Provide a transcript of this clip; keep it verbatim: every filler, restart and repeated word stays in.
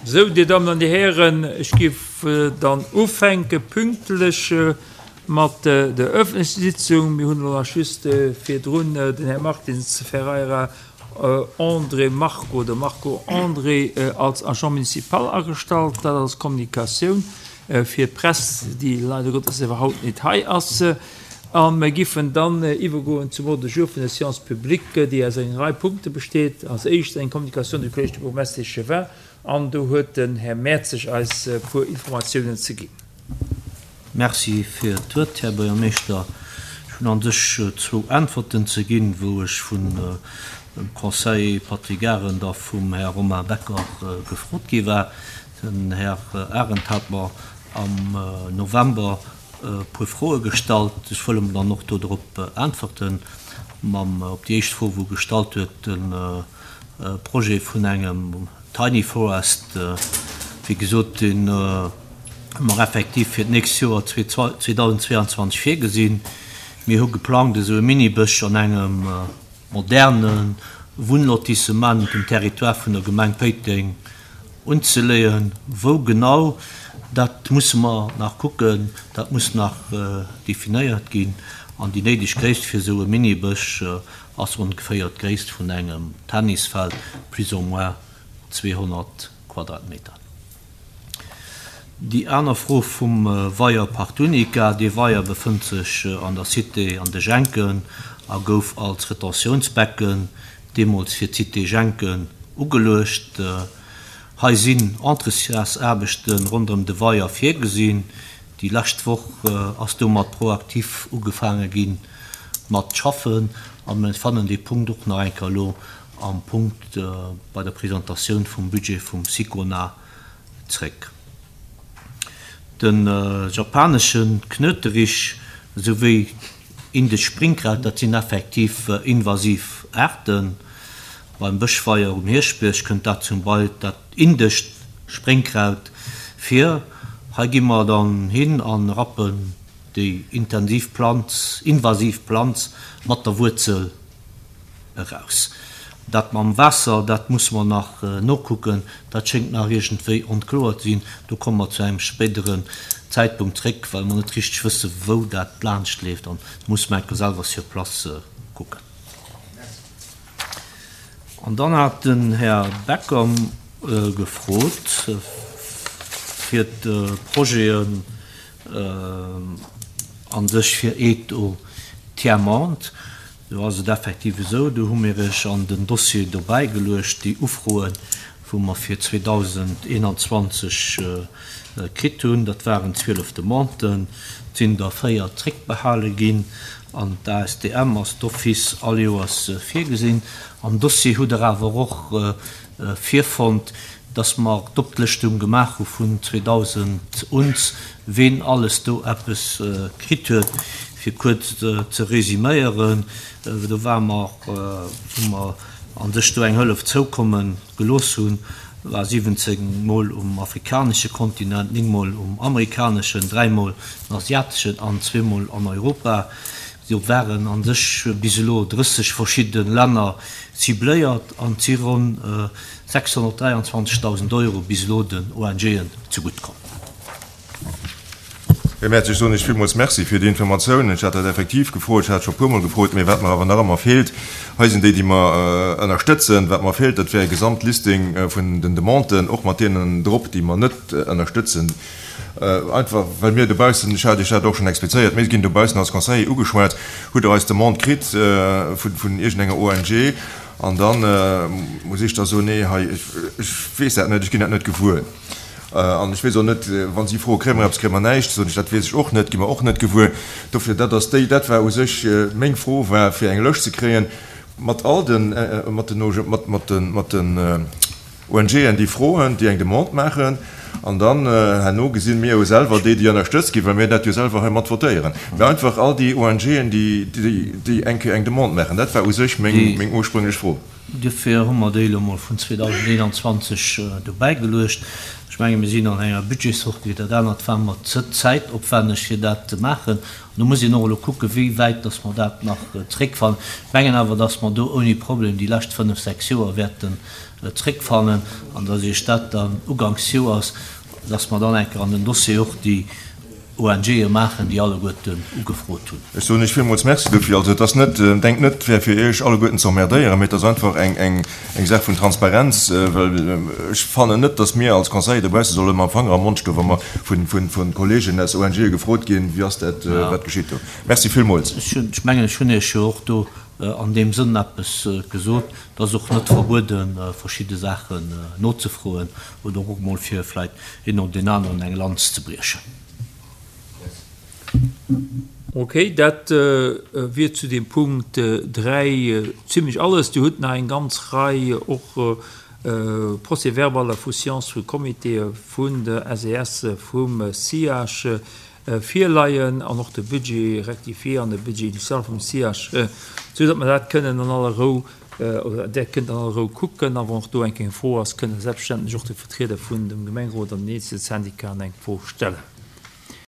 Sou, Dir Dammen an Dir Hären, ech géif dann ufänke pünktlech mat der öffentlecher Sitzung. Mir hunn elo nach just virdrun den Här Martins Ferreira André Marco, de Marco André als Agent municipal agestallt, dat als Kommunikatioun fir d'Press, déi leider Gottes awer haut net hei ass. A mir giffen dann iwwergoen zum Ordre du jour vun der Séance publique, déi aus enger Rei Punkte besteet. Als éischt eng Communication du Collège du bourgmestre échevin, an do huet den Här Mertzig eis e puer Informatiounen ze ginn. Merci fir d'Wuert, Här Buergermeeschter. Ech hunn an sech zwou Äntwerten ze ginn, wou ech vun dem Conseiller Patrick Arendt a vum Här Romain Becker gefrot gi war. Den Här Arendt hat mer am November e puer Froe gestallt. Ech wëll em dann och do drop äntwerten. Mam op déi éischt Fro, wou gestallt huet, de Projet vun engem Tiny Forest, wéi gesot, deen hu mer effektiv fir d'nächst Joer zweedausendzweianzwanzeg virgesinn. Mir hu geplangt, esou e Minibësch an engem moderne Wunnlotissement um Territoire vun der Gemeng Péiteng unzeleeën. Wou genau, dat musse mer nach kucken, dat muss nach definéiert ginn. An déi néideg Gréisst fir esou e Minibësch ass ongeféier d'Gréisst vun engem Tennisfeld, plus ou moins zweehonnert Quadratmeter. Déi aner Fro vum Weier Partunica, dee Weier befënnt sech an der Cité an de Jenken a gouf als Retentiounsbecken deemools fir d'Cité Jenken ugeluecht. Hei sinn Entretiensaarbechte ronderëm de Weier virgesinn. Déi lescht Woch ass domat proaktiv ugefaange ginn mat schaffen a mir fannen dee Punkt och nach eng Kéier elo am Punkt bei der Presentatioun vum Budget vum Sicona zréck. De japanesche Knöterich souwéi indescht Springkraut, dat sinn effektiv invasiv Aarten. Beim Bëschweier um Hierschtbierg kënnt dat zum Beispill dat indescht Springkraut vir. Hei gi mer dann hin a rappen déi intensiv Planz, invasiv Planz mat der Wuerzel eraus. Dat mam Waasser, dat musse mer nach nokucken, dat schéngt nach iergendwéi onkloer ze sinn. Do komme mer zu engem spéideren Zäitpunkt zréck, well mer net richteg wësse wou dat laanscht leeft an musse mer enke selwer sur place kucken. An dann hat den Här Becker gefrot fir d'Projeten an sech fir Aide au Tiers-Monde. Do ass et effektiv esou, do hu mir iech an den Dossier dobäi geluecht, déi Ufroen, wou mer fir zweedausendeenanzwanzeg kritt hunn. Dat waren zwielef Demanden, et sinn der véier zréckbehale ginn an d'A S D M ass d'office all Joers virgesinn. Am Dossier hutt der awer och virfonnt, dass mer d'Oplëschtung gemaach hu vun zweedausend uns, ween alles do eppes kritt huet. Fir kuerz ze resüméieren, do war mer, wou mer an sech do eng Hëllef zoukomme gelooss hunn, war siwwenzéng Mol um afrikanesche Kontinent, néng Mol um amerikaneschen, dräi Mol am asiateschen an zwee Mol an Europa. Do waren an sech bis elo drësseg verschidde Länner cibléiert an si ronn sechshonnertdräianzwanzegdausend Euro bis elo den O N G'en zeguttkomm. Här Merz, ech soen Iech villmools Merci fir déi Informatioun. Ech hat dat effektiv gefrot, ech hat scho e puermol gefrot, mee wat mer awer nach ëmmer feelt, hei sinn déi, déi mer ënnerstëtzen. Wat mer feelt, dat wär e Gesamtlisting vun den Demanden, och mat deenen drop, déi mer net ënnerstëtzen. Einfach, well mir dobaussen, ech hat Iech dat och schonn explizéiert, mir ginn dobaussen als Conseiller ugeschwat, hutt Der eis Demande kritt vun, vun iergendenger O N G, an dann muss ech da soen, nee, hei, ech, ech weess dat net, ech ginn dat net gewuer. An ech weess och net, wann si froen, kréie mer eppes, kréie mer näischt, soen ech, dat weess ech och net, gi mer och net gewuer. Dofir, dat ass déi, dat war u sech meng Fro, war fir eng Lëscht ze kréien mat all den, mat den, mat, mat den, mat den O N G'en, déi froen, déi eng Demande maachen, an dann herno gesinn mir jo selwer déi, déi ënnerstëtzt ginn, well mir dat jo selwer hei mat votéieren. Mee einfach all déi O N G'en, déi, déi, déi eng Kéier eng Demande maachen, dat war u sech meng, meng ursprünglech Fro. Duerfir hu mer déi elo mol vun zweedausendeenanzwanzeg dobäi geluecht. Ech menge mir sinn an enger Budgetssortie, dat anert war mer ze zäitopwänneg fir dat ze maachen. An do muss een och elo kucken, wéi wäit dass mer dat nach zréckfannen. Ech mengen awer, dass mer do ouni Problem déi lescht fënnef, sechs Joer wäerten zréckfannen an dass Iech dat dann uganks Joers, dass mer dann eng Kéier an den Dossier och déi O N G'e maachen, déi alleguerten ugefrot hunn. Ech soen Iech villmools Merci dofir. Also et ass net, denkt net, et wär fir Iech alleguerten ze emmerdéieren, mee et ass einfach eng, eng, eng Saach vun Transparenz, well ech fannen net, datt mir als Conseiller dobausse solle mam Fanger am Mond stoen, wa mer vun, vun, vun Kollegen aus O N G'e gefrot ginn, wéi ass dat, wat geschitt do. Merci villmools. Ech hunn, ech mengen, ech hunn Iech jo och do an deem Sënn eppes gesot, et ass och net verbueden, verschidde Saachen nozefroen oder och emol fir vläicht een oder deen aneren eng Lanz ze briechen. Ok, dat wier zu dem Punkt dräi zimlech alles. Dir hutt nach eng ganz Rei och Procès-verbaler vu Séancë vu Comitéë vun der S E S, vum C I A C virleien an och de Budget rectifié an de Budget initial vum C I A C, sou datt mer dat kënnen an aller Rou, oder där kënnt an aller Rou kucken. A wann och do eng Fro ass, kënnen selbstverständlech och de Vertrieder vun dem Gemengerot an den eenzelne Syndicaten eng Fro stellen.